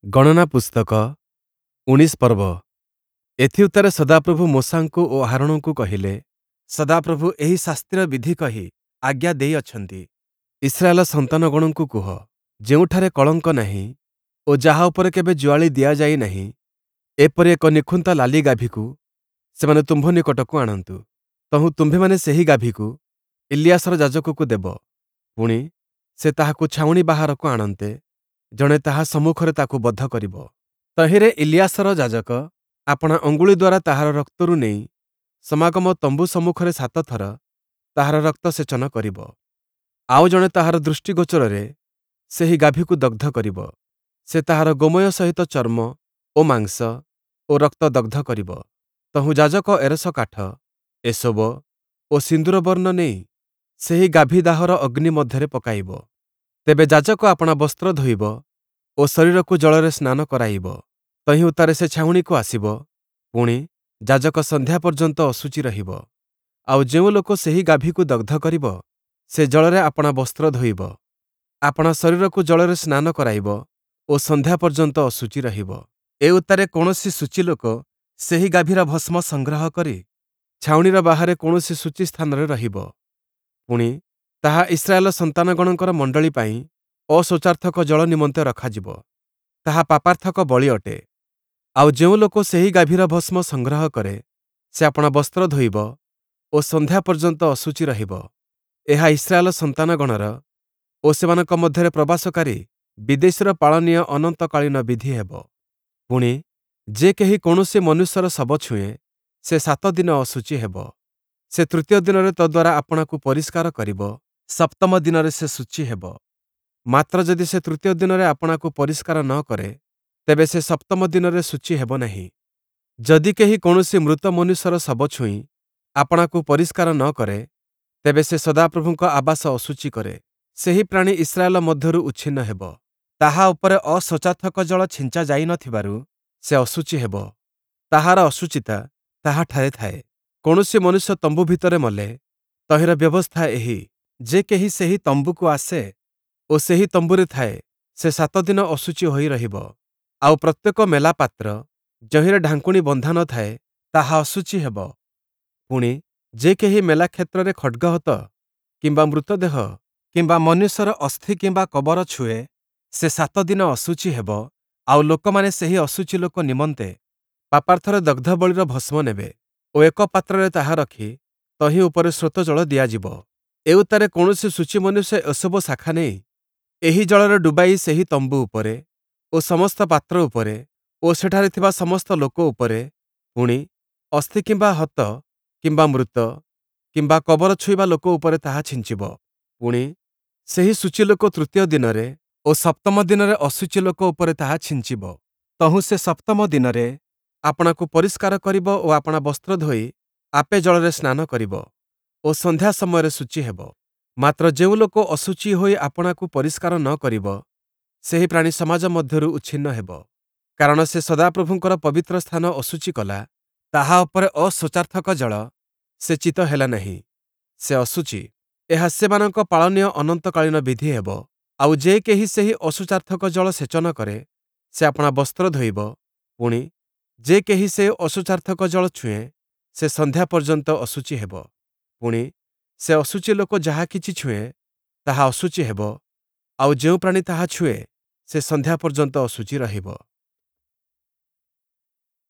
ଗଣନା ପୁସ୍ତକ 19 ପର୍ବ। ଏଥିଉତ୍ତାରେ ସଦାପ୍ରଭୁ ମୋଶାଙ୍କୁ ଓ ହାରୋଣଙ୍କୁ କହିଲେ, ସଦାପ୍ରଭୁ ଏହି ଶାସ୍ତିର ବିଧି କହି ଆଜ୍ଞା ଦେଇଅଛନ୍ତି, ଇସ୍ରାଏଲ ସନ୍ତାନଗଣଙ୍କୁ କୁହ, ଯେଉଁଠାରେ କଳଙ୍କ ନାହିଁ ଓ ଯାହା ଉପରେ କେବେ ଜୁଆଳି ଦିଆଯାଇ ନାହିଁ, ଏପରି ଏକ ନିଖୁନ୍ତା ଲାଲି ଗାଭୀକୁ ସେମାନେ ତୁମ୍ଭ ନିକଟକୁ ଆଣନ୍ତୁ। ତହୁଁ ତୁମ୍ଭେମାନେ ସେହି ଗାଭୀକୁ ଇଲିୟାସର ଯାଜକକୁ ଦେବ। ପୁଣି, ସେ ତାହାକୁ ଛାଉଣି ବାହାରକୁ ଆଣନ୍ତେ, ଜଣେ ତାହା ସମ୍ମୁଖରେ ତାକୁ ବଧ କରିବ। ତହିଁରେ ଇଲିୟାସର ଯାଜକ ଆପଣା ଅଙ୍ଗୁଳି ଦ୍ୱାରା ତାହାର ରକ୍ତରୁ ନେଇ ସମାଗମ ତମ୍ବୁ ସମ୍ମୁଖରେ ସାତ ଥର ତାହାର ରକ୍ତ ସେଚନ କରିବ। ଆଉ ଜଣେ ତାହାର ଦୃଷ୍ଟିଗୋଚରରେ ସେହି ଗାଭୀକୁ ଦଗ୍ଧ କରିବ। ସେ ତାହାର ଗୋମୟ ସହିତ ଚର୍ମ ଓ ମାଂସ ଓ ରକ୍ତ ଦଗ୍ଧ କରିବ। ତହୁଁ ଯାଜକ ଏରସ କାଠ, ଏସୋବ ଓ ସିନ୍ଦୂରବର୍ଣ୍ଣ ନେଇ ସେହି ଗାଭୀ ଦାହର ଅଗ୍ନି ମଧ୍ୟରେ ପକାଇବ। ତେବେ ଯାଜକ ଆପଣା ବସ୍ତ୍ର ଧୋଇବ ଓ ଶରୀରକୁ ଜଳରେ ସ୍ନାନ କରାଇବ। ତହିଁ ଉତ୍ତାରେ ସେ ଛାଉଣିକୁ ଆସିବ। ପୁଣି, ଯାଜକ ସନ୍ଧ୍ୟା ପର୍ଯ୍ୟନ୍ତ ଅଶୁଚି ରହିବ। ଆଉ ଯେଉଁ ଲୋକ ସେହି ଗାଭୀକୁ ଦଗ୍ଧ କରିବ, ସେ ଜଳରେ ଆପଣା ବସ୍ତ୍ର ଧୋଇବ, ଆପଣା ଶରୀରକୁ ଜଳରେ ସ୍ନାନ କରାଇବ ଓ ସନ୍ଧ୍ୟା ପର୍ଯ୍ୟନ୍ତ ଅଶୁଚି ରହିବ। ଏ ଉତ୍ତାରେ କୌଣସି ଶୁଚି ଲୋକ ସେହି ଗାଭୀର ଭସ୍ମ ସଂଗ୍ରହ କରି ଛାଉଣିର ବାହାରେ କୌଣସି ଶୁଚି ସ୍ଥାନରେ ରହିବ। ପୁଣି, ତାହା ଇସ୍ରାଏଲ ସନ୍ତାନଗଣଙ୍କର ମଣ୍ଡଳୀ ପାଇଁ ଅଶୌଚାର୍ଥକ ଜଳ ନିମନ୍ତେ ରଖାଯିବ। ତାହା ପାପାର୍ଥକ ବଳି ଅଟେ। ଆଉ ଯେଉଁ ଲୋକ ସେହି ଗାଭୀର ଭସ୍ମ ସଂଗ୍ରହ କରେ, ସେ ଆପଣା ବସ୍ତ୍ର ଧୋଇବ ଓ ସନ୍ଧ୍ୟା ପର୍ଯ୍ୟନ୍ତ ଅଶୁଚି ରହିବ। ଏହା ଇସ୍ରାଏଲ ସନ୍ତାନଗଣର ଓ ସେମାନଙ୍କ ମଧ୍ୟରେ ପ୍ରବାସକାରୀ ବିଦେଶୀର ପାଳନୀୟ ଅନନ୍ତକାଳୀନ ବିଧି ହେବ। ପୁଣି, ଯେ କେହି କୌଣସି ମନୁଷ୍ୟର ଶବ ଛୁଏଁ, ସେ ସାତ ଦିନ ଅଶୁଚି ହେବ। ସେ ତୃତୀୟ ଦିନରେ ତଦ୍ୱାରା ଆପଣାକୁ ପରିଷ୍କାର କରିବ, ସପ୍ତମ ଦିନରେ ସେ ଶୁଚି ହେବ। ମାତ୍ର ଯଦି ସେ ତୃତୀୟ ଦିନରେ ଆପଣାକୁ ପରିଷ୍କାର ନ କରେ, ତେବେ ସେ ସପ୍ତମ ଦିନରେ ଶୁଚି ହେବ ନାହିଁ। ଯଦି କେହି କୌଣସି ମୃତ ମନୁଷ୍ୟର ଶବ ଛୁଇଁ ଆପଣାକୁ ପରିଷ୍କାର ନ କରେ, ତେବେ ସେ ସଦାପ୍ରଭୁଙ୍କ ଆବାସ ଅଶୁଚି କରେ। ସେହି ପ୍ରାଣୀ ଇସ୍ରାଏଲ ମଧ୍ୟରୁ ଉଚ୍ଛିନ୍ନ ହେବ। ତାହା ଉପରେ ଅଶୌଚାର୍ଥକ ଜଳ ଛିଞ୍ଚା ଯାଇ ନ ଥିବାରୁ ସେ ଅଶୁଚି ହେବ। ତାହାର ଅଶୁଚିତା ତାହାଠାରେ ଥାଏ। କୌଣସି ମନୁଷ୍ୟ ତମ୍ବୁ ଭିତରେ ମଲେ, ତହିଁର ବ୍ୟବସ୍ଥା ଏହି, ଯେ କେହି ସେହି ତମ୍ବୁକୁ ଆସେ ଓ ସେହି ତମ୍ବୁରେ ଥାଏ, ସେ ସାତ ଦିନ ଅଶୁଚି ହୋଇ ରହିବ। ଆଉ ପ୍ରତ୍ୟେକ ମେଲା ପାତ୍ର, ଯହିଁରେ ଢାଙ୍କୁଣୀ ବନ୍ଧା ନ ଥାଏ, ତାହା ଅଶୁଚି ହେବ। ପୁଣି, ଯେ କେହି ମେଲା କ୍ଷେତ୍ରରେ ଖଡ଼୍ଗହତ କିମ୍ବା ମୃତଦେହ କିମ୍ବା ମନୁଷ୍ୟର ଅସ୍ଥି କିମ୍ବା କବର ଛୁଏଁ, ସେ ସାତ ଦିନ ଅଶୁଚି ହେବ। ଆଉ ଲୋକମାନେ ସେହି ଅଶୁଚି ଲୋକ ନିମନ୍ତେ ପାପାର୍ଥରେ ଦଗ୍ଧବଳିର ଭସ୍ମ ନେବେ ଓ ଏକ ପାତ୍ରରେ ତାହା ରଖି ତହିଁ ଉପରେ ସ୍ରୋତ ଜଳ ଦିଆଯିବ। ଏଉତ୍ତାରେ କୌଣସି ଶୁଚି ମନୁଷ୍ୟ ଏସୋବ ଶାଖା ନେଇ ଏହି ଜଳରେ ଡୁବାଇ ସେହି ତମ୍ବୁ ଉପରେ ଓ ସମସ୍ତ ପାତ୍ର ଉପରେ ଓ ସେଠାରେ ଥିବା ସମସ୍ତ ଲୋକ ଉପରେ, ପୁଣି, ଅସ୍ଥି କିମ୍ବା ହତ କିମ୍ବା ମୃତ କିମ୍ବା କବର ଛୁଇଁବା ଲୋକ ଉପରେ ତାହା ଛିଞ୍ଚିବ। ପୁଣି, ସେହି ଶୁଚି ଲୋକ ତୃତୀୟ ଦିନରେ ଓ ସପ୍ତମ ଦିନରେ ଅଶୁଚି ଲୋକ ଉପରେ ତାହା ଛିଞ୍ଚିବ। ତହୁଁ ସେ ସପ୍ତମ ଦିନରେ ଆପଣାକୁ ପରିଷ୍କାର କରିବ ଓ ଆପଣା ବସ୍ତ୍ର ଧୋଇ ଆପେ ଜଳରେ ସ୍ନାନ କରିବ ଓ ସନ୍ଧ୍ୟା ସମୟରେ ଶୁଚି ହେବ। ମାତ୍ର ଯେଉଁ ଲୋକ ଅଶୁଚି ହୋଇ ଆପଣାକୁ ପରିଷ୍କାର ନ କରିବ, ସେହି ପ୍ରାଣୀ ସମାଜ ମଧ୍ୟରୁ ଉଚ୍ଛିନ୍ନ ହେବ। କାରଣ ସେ ସଦାପ୍ରଭୁଙ୍କର ପବିତ୍ର ସ୍ଥାନ ଅଶୁଚି କଲା, ତାହା ଉପରେ ଅଶୌଚାର୍ଥକ ଜଳ ସେଚିତ ହେଲା ନାହିଁ, ସେ ଅଶୁଚି। ଏହା ସେମାନଙ୍କ ପାଳନୀୟ ଅନନ୍ତକାଳୀନ ବିଧି ହେବ। ଆଉ ଯେ କେହି ସେହି ଅଶୌଚାର୍ଥକ ଜଳ ସେଚନ କରେ, ସେ ଆପଣା ବସ୍ତ୍ର ଧୋଇବ। ପୁଣି, ଯେ କେହି ସେ ଅଶୌଚାର୍ଥକ ଜଳ ଛୁଏଁ, ସେ ସନ୍ଧ୍ୟା ପର୍ଯ୍ୟନ୍ତ ଅଶୁଚି ହେବ। ପୁଣି, ସେ ଅଶୁଚି ଲୋକ ଯାହା କିଛି ଛୁଏଁ, ତାହା ଅଶୁଚି ହେବ। ଆଉ ଯେଉଁ ପ୍ରାଣୀ ତାହା ଛୁଏଁ, ସେ ସନ୍ଧ୍ୟା ପର୍ଯ୍ୟନ୍ତ ଅଶୁଚି ରହିବ।